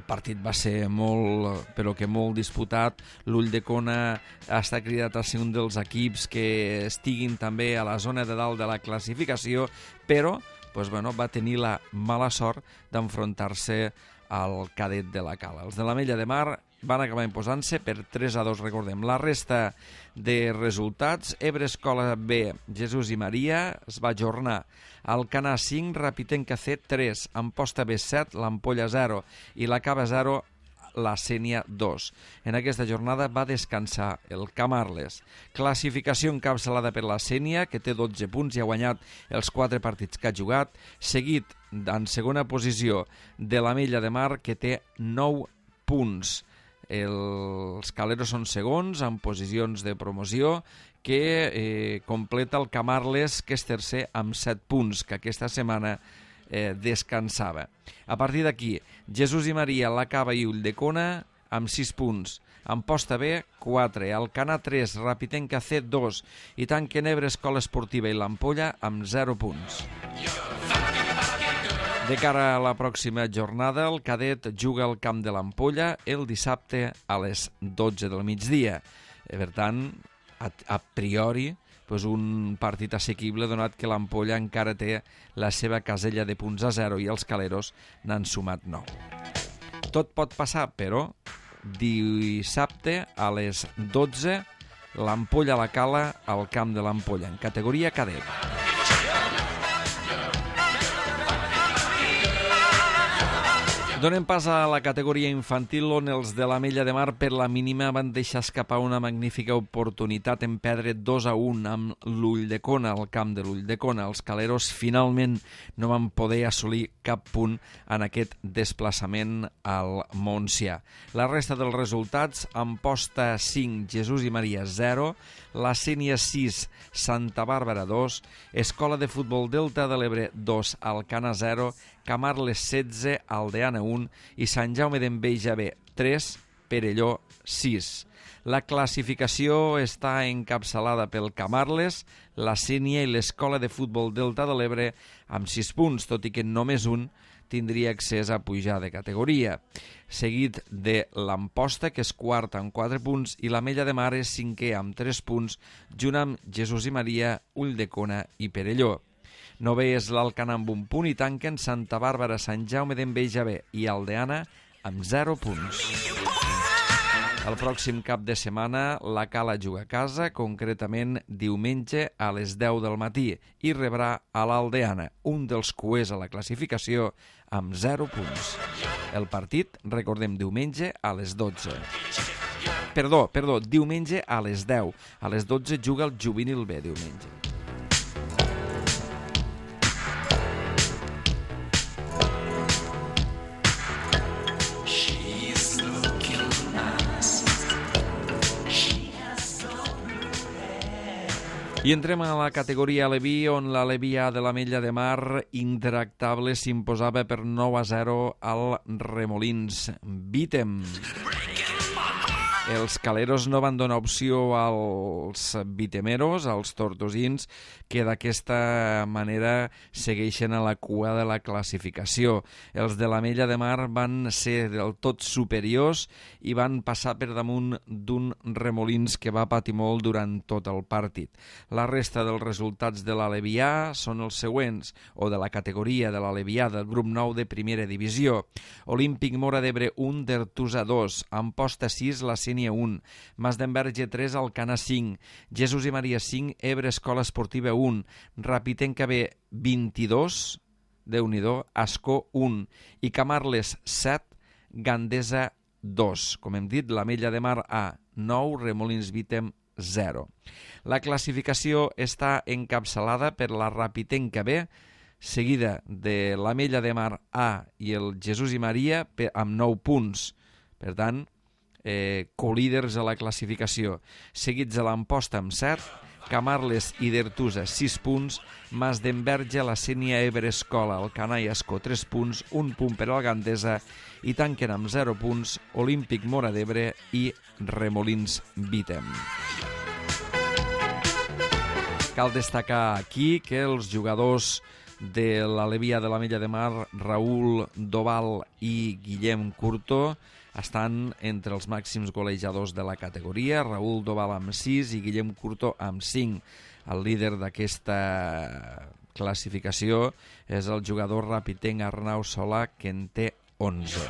partit va ser molt, però que molt disputat. L'Ulldecona està cridat a ser un dels equips que estiguin també a la zona de dalt de la classificació, però va tenir la mala sort d'enfrontar-se al cadet de la Cala. Els de l'Ametlla de Mar van acabar imposant-se per 3-2, recordem. La resta de resultats: Ebre Escola B, Jesús i Maria es va ajornar. Alcanar 5, Rapitenca C 3, Amposta B 7, l'Ampolla 0 i la Cava 0, la Sénia 2. En aquesta jornada va descansar el Camarles. Classificació encapçalada per la Sénia, que té 12 punts i ha guanyat els 4 partits que ha jugat, seguit en segona posició de l'Ametlla de Mar, que té 9 punts. Els caleros són segons en posicions de promoció, que completa el Camarles, que és tercer amb 7 punts, que aquesta setmana descansava. A partir d'aquí, Jesús i Maria, la Cava i Ulldecona amb 6 punts. Amposta B, 4, Alcanar 3, Rapitenca C 2 i tanquen Ebre Escola Esportiva i l'Ampolla amb 0 punts. De cara a la pròxima jornada, el cadet juga al camp de l'Ampolla el dissabte a les 12 del migdia. Per tant, a priori, un partit assequible, donat que l'Ampolla encara té la seva casella de punts a 0 i els caleros n'han sumat 9. Tot pot passar, però dissabte a les 12 l'Ampolla a la Cala al camp de l'Ampolla, en categoria cadet. Donem pas a la categoria infantil, on els de l'Ametlla de Mar per la mínima van deixar escapar una magnífica oportunitat en perdre 2-1 amb l'Ulldecona, al camp de l'Ulldecona. Els caleros finalment no van poder assolir cap punt en aquest desplaçament al Montsià. La resta dels resultats: Amposta 5, Jesús i Maria 0, la Sénia 6, Santa Bàrbara 2, Escola de Futbol Delta de l'Ebre 2, Alcanar 0, Camarles 16, Aldeana 1 i Sant Jaume d'Enveja B 3, Perelló 6. La classificació està encapçalada pel Camarles, la Sénia i l'Escola de Futbol Delta de l'Ebre amb 6 punts, tot i que només un tindria accés a pujar de categoria. Seguit de l'Amposta, que és quart amb 4 punts, i l'Ametlla de Mar és cinquè amb 3 punts, junt amb Jesús i Maria, Ulldecona i Perelló. Novè és l'Alcanar amb 1 punt i tanquen Santa Bàrbara, Sant Jaume d'Enveja B i Aldeana amb 0 punts. El pròxim cap de setmana la Cala juga a casa, concretament diumenge a les 10 del matí, i rebrà a l'Aldeana, un dels cuers a la classificació, amb 0 punts. El partit, recordem, diumenge a les 12. Perdó, diumenge a les 10. A les 12 juga el Juvenil B, diumenge. I entrem a la categoria Aleví, on l'Aleví A de l'Ametlla de Mar, intractable, s'imposava per 9-0 al Remolins Vítem. Els caleros no van donar opció als vitemeros, als tortosins, que d'aquesta manera segueixen a la cua de la classificació. Els de l'Ametlla de Mar van ser del tot superiors i van passar per damunt d'un Remolins que va patir molt durant tot el partit. La resta dels resultats de l'Alevià són els següents, o de la categoria de l'Alevià del grup 9 de primera divisió. Olímpic Mora d'Ebre 1, Dertusa 2, Amposta 6, la Sénia 1, Mas d'Enverge 3, Alcanar 5, Jesús i Maria 5, Ebre Escola Esportiva 1, Rapitenca B 22, Déu-n'hi-do, Ascó 1 i Camarles 7, Gandesa 2. Com hem dit, l'Ametlla de Mar A 9, Remolins Vítem 0. La classificació està encapçalada per la Rapitenca B, seguida de l'Ametlla de Mar A i el Jesús i Maria amb 9 punts. Per tant, colíders a la classificació. Seguits de l'Amposta amb 7, Camarles i d'Ertusa 6 punts, Mas d'Enverge, la Sénia, Ebre, Escola, Alcanar i Ascó 3 punts, 1 punt per al Gandesa i tanquen amb 0 punts Olímpic Móra d'Ebre i Remolins Vítem. Cal destacar aquí que els jugadors de l'Alevia de l'Ametlla de Mar, Raül Doval i Guillem Curto, estan entre els màxims golejadors de la categoria. Raül Doval amb 6 i Guillem Curto amb 5. El líder d'aquesta classificació és el jugador rapitenc Arnau Solà, que en té 11.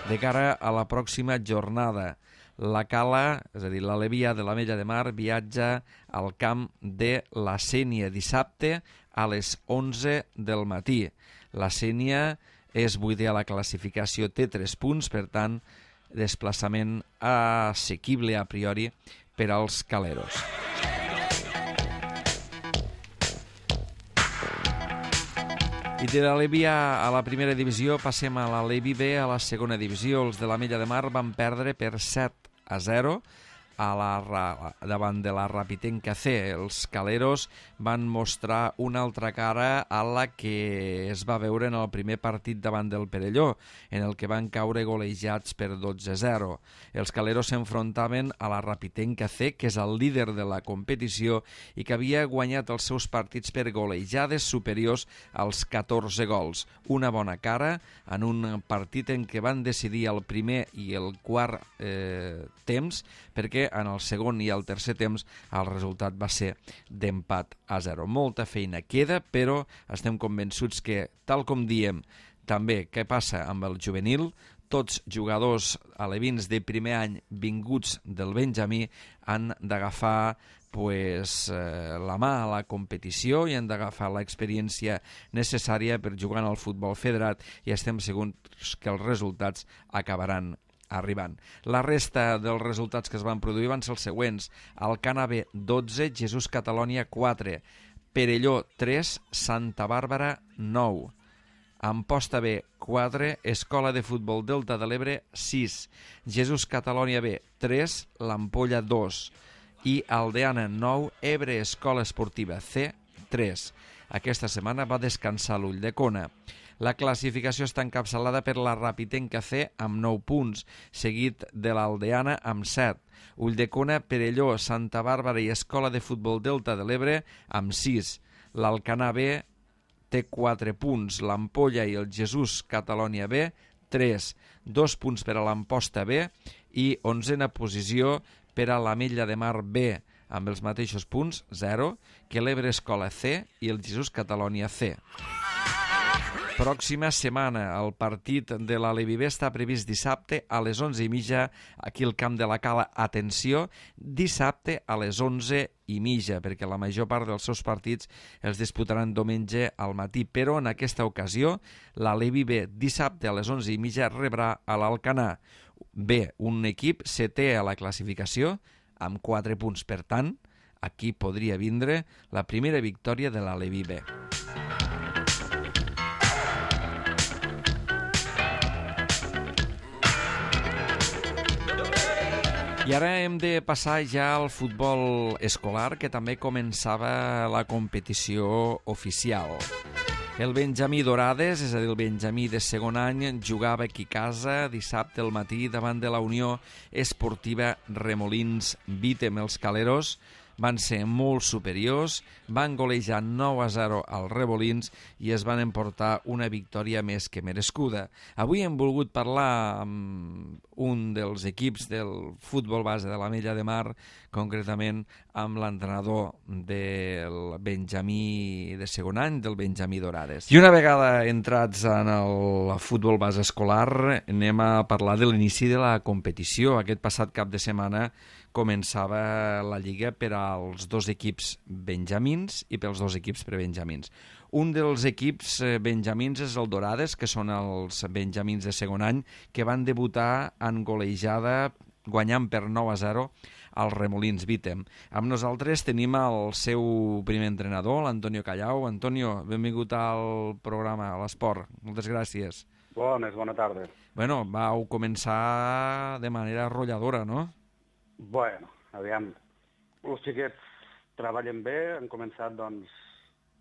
De cara a la pròxima jornada, la Cala, és a dir, l'Alevia de l'Ametlla de Mar, viatja al camp de la Sénia dissabte a les 11 del matí. La Sénia és vuitè a la classificació, té 3 punts, per tant, desplaçament assequible a priori per als caleros. I de l'Alevia a la primera divisió passem a l'Alevi B a la segona divisió. Els de l'Ametlla de Mar van perdre per 7-0 davant de la Rapitenca C. Els caleros van mostrar una altra cara a la que es va veure en el primer partit davant del Perelló, en el que van caure golejats per 12-0. Els caleros s'enfrontaven a la Rapitenca C, que és el líder de la competició i que havia guanyat els seus partits per golejades superiors als 14 gols. Una bona cara en un partit en què van decidir el primer i el quart temps, perquè en el segon i el tercer temps el resultat va ser d'empat a 0. Molta feina queda, però estem convençuts que, tal com diem també què passa amb el juvenil, tots jugadors alevins de primer any vinguts del Benjamí han d'agafar la mà a la competició i han d'agafar l'experiència necessària per jugar en el futbol federat, i estem segurs que els resultats acabaran arribant. La resta dels resultats que es van produir van ser els següents: Alcana B 12, Jesús Catalònia 4, Perelló 3, Santa Bàrbara 9, Amposta B 4, Escola de Futbol Delta de l'Ebre 6, Jesús Catalònia B 3, l'Ampolla 2 i Aldeana 9, Ebre Escola Esportiva C 3. Aquesta setmana va descansar l'Ulldecona. La classificació està encapçalada per la Rapitenca C amb 9 punts, seguit de l'Aldeana amb 7. Ulldecona, Perelló, Santa Bàrbara i Escola de Futbol Delta de l'Ebre amb 6. L'Alcanar B té 4 punts, l'Ampolla i el Jesús Catalònia B 3. 2 punts per a l'Amposta B i 11a posició per a l'Ametlla de Mar B, amb els mateixos punts, 0, que l'Ebre Escola C i el Jesús Catalònia C. Pròxima setmana, el partit de l'Alevi B està previst dissabte a les 11:30 aquí al camp de la Cala. Atenció, dissabte a les 11:30, perquè la major part dels seus partits els disputaran diumenge al matí, però en aquesta ocasió l'Alevi B dissabte a les 11:30 rebrà a l'Alcanar B, un equip setè a la classificació amb 4 punts. Per tant, aquí podria vindre la primera victòria de l'Alevi B. I ara hem de passar ja al futbol escolar, que també començava la competició oficial. El Benjamí Dorades, és a dir, el Benjamí de segon any, jugava aquí a casa dissabte al matí davant de la Unió Esportiva Remolins Vítem. Els caleros van ser molt superiors, van golejar 9-0 als Remolins i es van emportar una victòria més que merescuda. Avui hem volgut parlar amb un dels equips del futbol base de l'Ametlla de Mar, concretament amb l'entrenador del Benjamí de segon any, del Benjamí Dorades. I una vegada entrats en el futbol base escolar, anem a parlar de l'inici de la competició. Aquest passat cap de setmana començava la Lliga per als 2 equips benjamins i pels 2 equips prebenjamins. Un dels equips benjamins és el Dorades, que són els benjamins de segon any, que van debutar en golejada guanyant per 9-0 als Remolins Vítem. Amb nosaltres tenim el seu primer entrenador, l'Antonio Callau. Antonio, benvingut al programa, a l'Esport. Moltes gràcies. Bona tarda. Bueno, vau començar de manera arrolladora, no? Bueno, aviam, els xiquets treballen bé, han començat, doncs,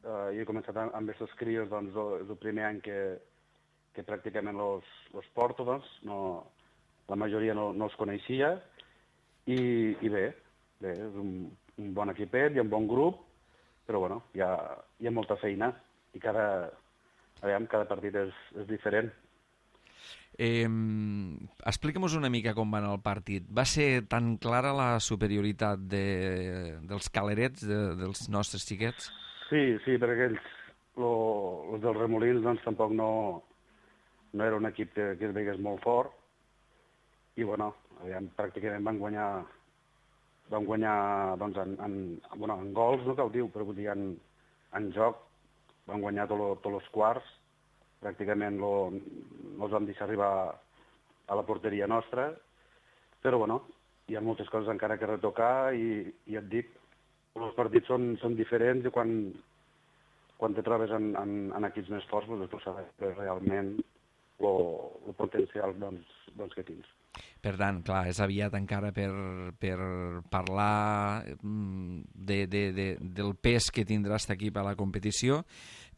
jo he començat amb aquests crios, doncs, és el primer any que pràcticament els porto, doncs, la majoria no els coneixia, i bé, és un bon equipet, hi ha un bon grup, però bueno, hi ha molta feina, i cada partit és diferent. Explica'm-nos una mica com va anar el partit. Va ser tan clara la superioritat dels calerets, dels nostres xiquets? Sí, perquè ells, els dels Remolins, doncs tampoc no era un equip que es veigués molt fort, i bueno, pràcticament van guanyar doncs, en gols, no cal dir, però vull dir, en joc, van guanyar tots els quarts, pràcticament no els vam deixar arribar a la porteria nostra, però bueno, hi ha moltes coses encara que retocar i ja et dic, els partits són diferents i quan te trobes en equips més forts, doncs tu saps realment el potencial doncs, que tens. Per tant, clar, és aviat encara per parlar del pes que tindrà aquest equip a la competició,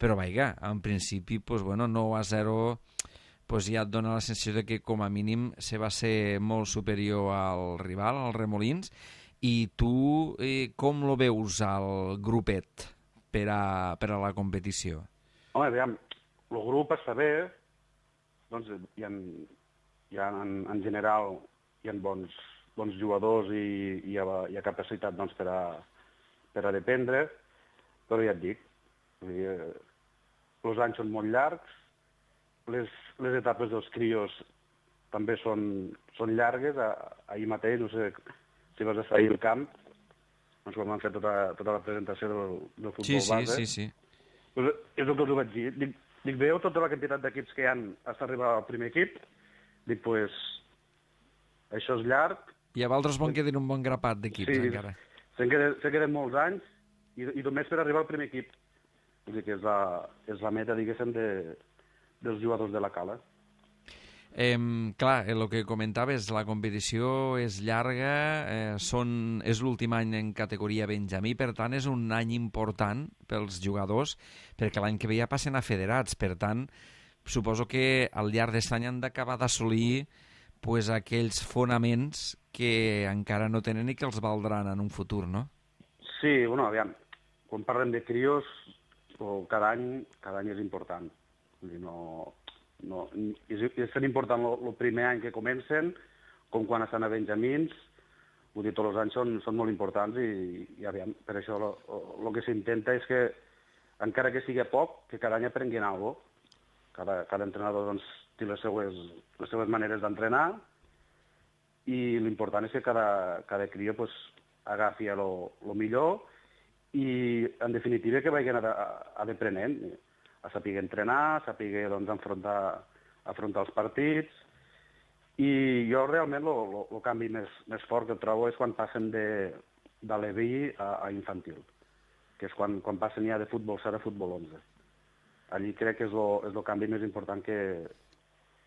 però vaja, en principi, pues, bueno, 9-0, pues, ja et dona la sensació de que com a mínim se va ser molt superior al rival, al Remolins, i tu com lo veus al grupet per a la competició? Home, aviam, el grup està bé, doncs en general hi ha bons jugadors i hi ha capacitat doncs, per a dependre, però ja et dic, els anys són molt llargs, les etapes dels crios també són llargues. Ahir mateix, no sé si vas estar ahir al camp, doncs quan vam fer tota la presentació del futbol base. Sí. Pues és el que us ho vaig dir. Dic, veieu tota la quantitat d'equips que hi ha fins a arribar al primer equip? Dic, pues, això és llarg. I a Valdres bon queden un bon grapat d'equips, encara. Se queden molts anys i només per arribar al primer equip. Vull dir que és la meta, diguéssim, dels jugadors de la Cala. Clar, el que comentaves, la competició és llarga, és l'últim any en categoria Benjamí, per tant és un any important pels jugadors, perquè l'any que ve ja passen a federats, per tant suposo que al llarg d'aquest any han d'acabar d'assolir pues, aquells fonaments que encara no tenen i que els valdran en un futur, no? Sí, bueno, aviam, quan parlem de crios, cada any és important. Vull dir, és tan important el primer any que comencen com quan estan a Benjamins. Vull dir, tots els anys són molt importants i aviam, per això el que s'intenta és que, encara que sigui poc, que cada any aprenguin alguna cosa. Cada entrenador doncs, té les seues maneres d'entrenar i l'important és que cada crió pues, agafi el millor i, en definitiva, que vagin aprenent, a saber entrenar, a saber doncs, afrontar els partits. I jo realment el canvi més fort que trobo és quan passen de l'EVI a infantil, que és quan passen ja de futbol 7 a futbol 11. Allí crec que és el canvi més important que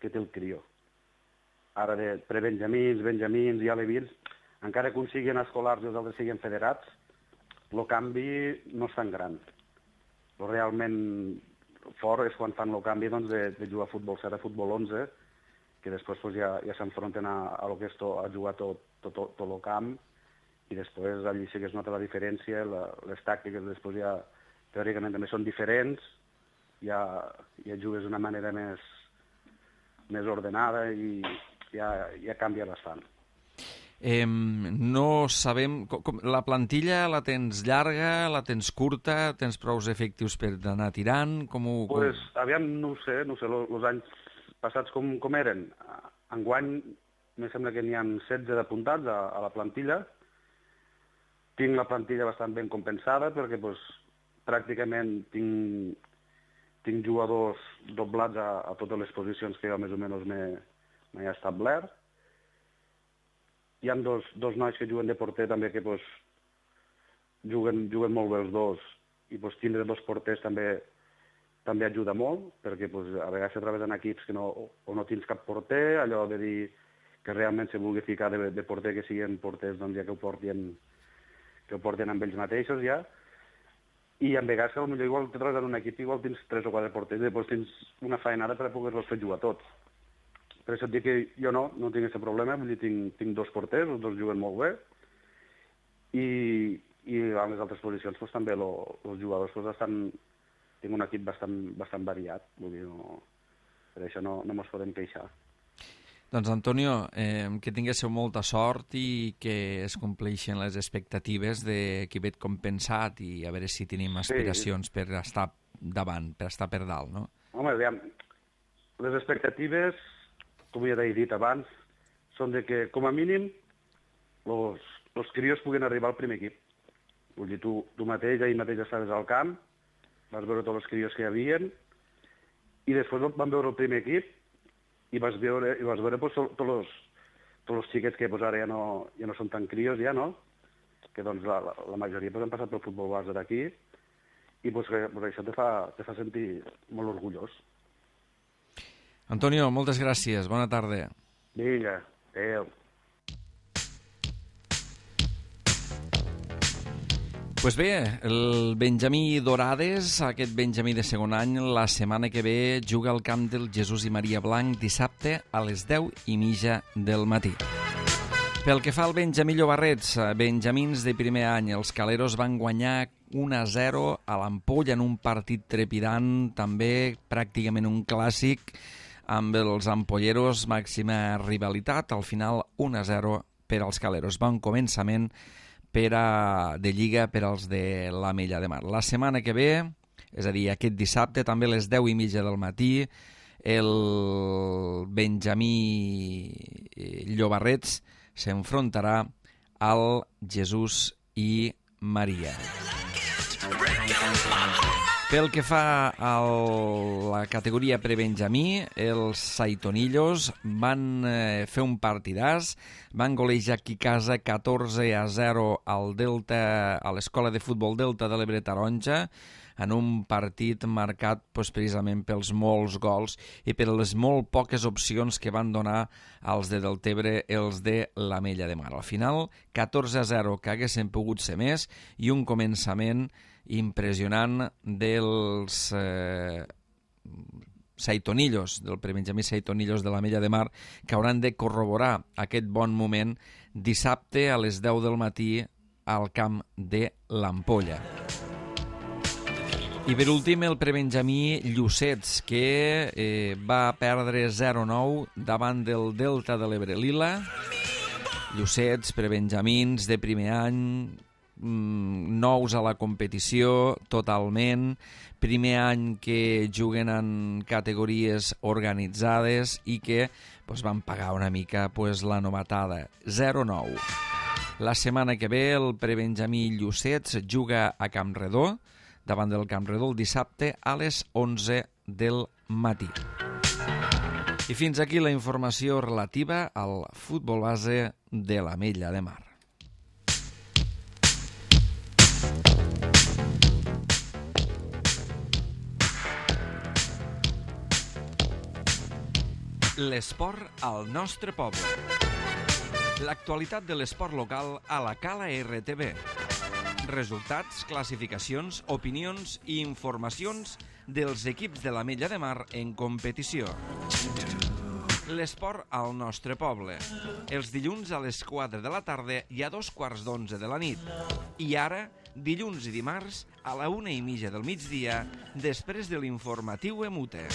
té el crió. Ara, de Benjamins i alevins, encara que uns siguin escolars i els altres siguin federats, el canvi no és tan gran. Però realment fort és quan fan el canvi doncs, de jugar a futbol 7 a futbol 11, que després pues, ja s'enfronten a lo que és a jugar tot el camp, i després allí sí que es nota la diferència, les tàctiques després ja teòricament també són diferents, ja jugues d'una manera més ordenada i ja canvia bastant. No sabem... La plantilla la tens llarga, la tens curta, tens prou efectius per anar tirant? Pues, aviam, no ho sé, els anys passats com eren. Enguany, em sembla que n'hi ha 16 d'apuntats a la plantilla. Tinc la plantilla bastant ben compensada perquè pues, pràcticament tinc jugadors doblats a totes les posicions que jo més o menys m'he establert. Hi ha dos nois que juguen de porter també que pues, juguen molt bé els dos i pues, tindre dos porters també ajuda molt perquè pues, a vegades se trobes en equips que no tens cap porter, allò de dir que realment se vulgui ficar de porter que siguin porters doncs, ja que ho portin ho porten amb ells mateixos ja, i en vegades que potser igual te trobes en un equip, igual tens 3 o 4 porters, i després tens una faenada per poder-los fer jugar tots. Per això et dic que jo no tinc aquest problema, vull dir, tinc 2 porters, els 2 juguen molt bé, i a les altres posicions pues, també els jugadors pues, tinc un equip bastant variat, vull dir, per això no ens podem queixar. Doncs, Antonio, que tinguéssiu molta sort i que es compleixin les expectatives de qui ve compensat i a veure si tenim aspiracions per estar davant, per estar per dalt, no? Home, aviam, les expectatives, com ja t'he dit abans, són de que, com a mínim, els crios puguen arribar al primer equip. Vull dir, tu mateix, ahir mateix estaves al camp, vas veure tots els crios que hi havia, i després van veure el primer equip, i vas veure pues, tots els xiquets que pues, ara ja no són tan crios, ja, no? Que doncs, la majoria pues, han passat pel futbol base d'aquí, i pues, això te fa sentir molt orgullós. Antonio, moltes gràcies. Bona tarda. Vinga, adéu. Pues bé, el Benjamí Dorades, aquest Benjamí de segon any, la setmana que ve juga al camp del Jesús i Maria Blanc dissabte a les 10:30 del matí. Pel que fa al Benjamí Llobarrets, benjamins de primer any, els caleros van guanyar 1-0 a l'Ampolla en un partit trepidant, també pràcticament un clàssic, amb els ampolleros màxima rivalitat, al final 1-0 per als caleros. Bon començament de Lliga per als de l'Ametlla de Mar. La setmana que ve, és a dir, aquest dissabte, també a les 10:30 del matí, el Benjamí Llobarrets s'enfrontarà al Jesús i Maria. Pel que fa a la categoria prebenjamí, els Saitonillos van fer un partidàs, van golejar aquí a casa 14-0 al Delta, a l'Escola de Futbol Delta de l'Ebre Taronja, en un partit marcat precisament pels molts gols i per les molt poques opcions que van donar als de Deltebre, els de l'Ametlla de Mar. Al final, 14-0, que haguessin pogut ser més, i un començament impressionant dels Saitonillos, del prebenjamí Saitonillos de l'Ametlla de Mar, que hauran de corroborar aquest bon moment dissabte a les 10 del matí al camp de l'Ampolla. I per últim el prebenjamí Llucets, que va perdre 0-9 davant del Delta de l'Ebre Lila. Llucets, prebenjamins de primer any, nous a la competició totalment, primer any que juguen en categories organitzades i que van pagar una mica la novatada, 0-9. La setmana que ve el prebenjamí Llucets juga a Campredó, davant del Campredó el dissabte a les 11 del matí. I fins aquí la informació relativa al futbol base de l'Ametlla de Mar. L'esport al nostre poble. L'actualitat de l'esport local a la Cala RTV. Resultats, classificacions, opinions i informacions dels equips de l'Ametlla de Mar en competició. L'esport al nostre poble. Els dilluns a les 4 de la tarda i a 2:15 de la nit. I ara, dilluns i dimarts a la 1:30 del migdia, després de l'informatiu Emute.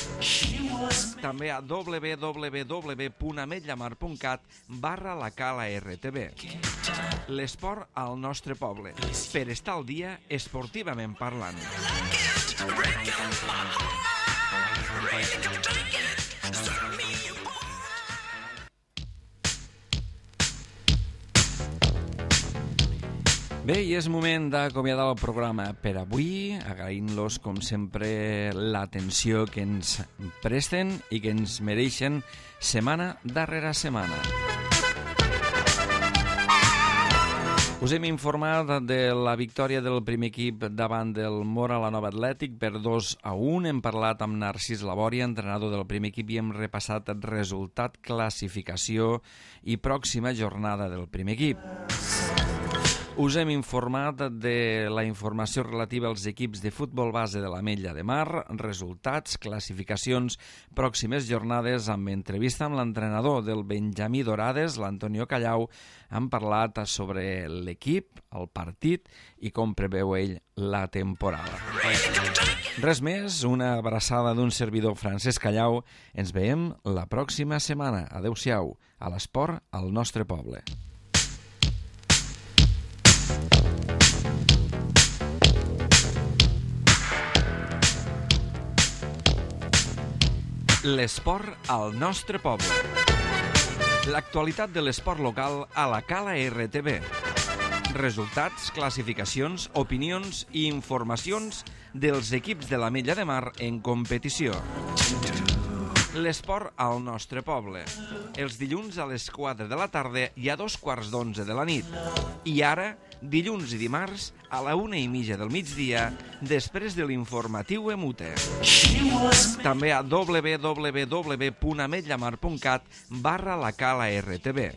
També a www.ametllamar.cat/la Cala RTV. L'esport al nostre poble, per estar al dia esportivament parlant. Bé, i és moment d'acomiadar el programa per avui, agraint-los, com sempre, l'atenció que ens presten i que ens mereixen setmana darrere setmana. Us hem informat de la victòria del primer equip davant del Móra la Nova Atlètic per 2-1. Hem parlat amb Narcís Labòria, entrenador del primer equip, i hem repassat resultat, classificació i pròxima jornada del primer equip. Us hem informat de la informació relativa als equips de futbol base de l'Ametlla de Mar, resultats, classificacions, pròximes jornades, amb entrevista amb l'entrenador del Benjamí Dorades, l'Antonio Callau. Han parlat sobre l'equip, el partit i com preveu ell la temporada. Res més, una abraçada d'un servidor, Francesc Callau. Ens veiem la pròxima setmana. Adéu-siau, a l'esport al nostre poble. L'esport al nostre poble. L'actualitat de l'esport local a la Cala RTV. Resultats, classificacions, opinions i informacions dels equips de l'Ametlla de Mar en competició. L'esport al nostre poble. Els dilluns a les 4 de la tarda i a 2:15 de la nit. I ara, dilluns i dimarts, a la 1:30 del migdia, després de l'informatiu EMUTE. També a www.ametllamar.cat/la Cala RTV.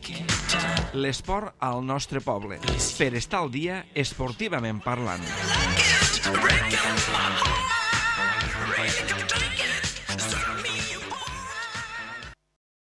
L'esport al nostre poble. Per estar al dia esportivament parlant.